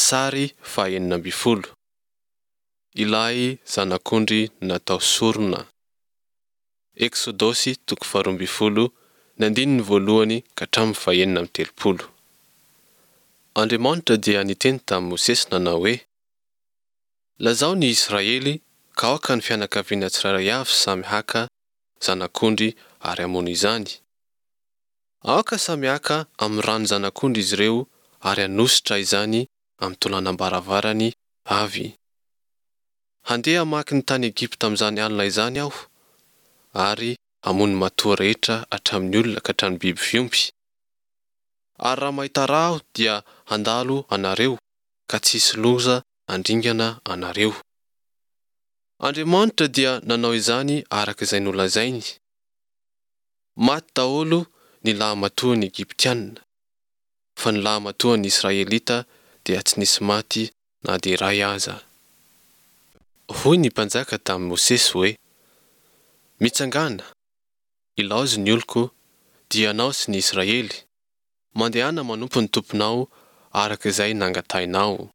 Sary faha 16. Ilay Zanak'ondry natao sorona. Eksodosy toko faharoambinifolo ny andininy voalohany ka hatramin'ny fahenina amby telopolo. Andriamanitra dia niteny tamin'i Mosesy nanao hoe, Lazao ny Israely ka aoka ny fianakaviana tsirairay avy samy haka zanak'ondry ary hamono izany. Aoka samy haka amin'ny ran'ny zanak'ondry izy ireo ary hanosotra izany amin'ny tolanam-baravarany avy. Handeha hamaky ny tany Egypta amin'izany alina izany Aho, ary hamono ny matoa rehetra hatramin'ny olona ka hatramin'ny biby fiompy. Ary raha mahita rà Aho dia handalo anareo, ka tsy hisy loza handringana anareo. Andriamanitra dia nanao izany araka izay nolazainy. Maty daholo ny lahamatoan'ny Egyptiana, fa ny lahamatoan'ny Israelita dia tsy nisy maty na dia iray aza. Hoy ny mpanjaka tamin'i Mosesy hoe, Mitsangàna, ilaozy ny oloko, dia ianao sy ny Israely, mandehana manompo ny Tomponao araka izay nangatahinao.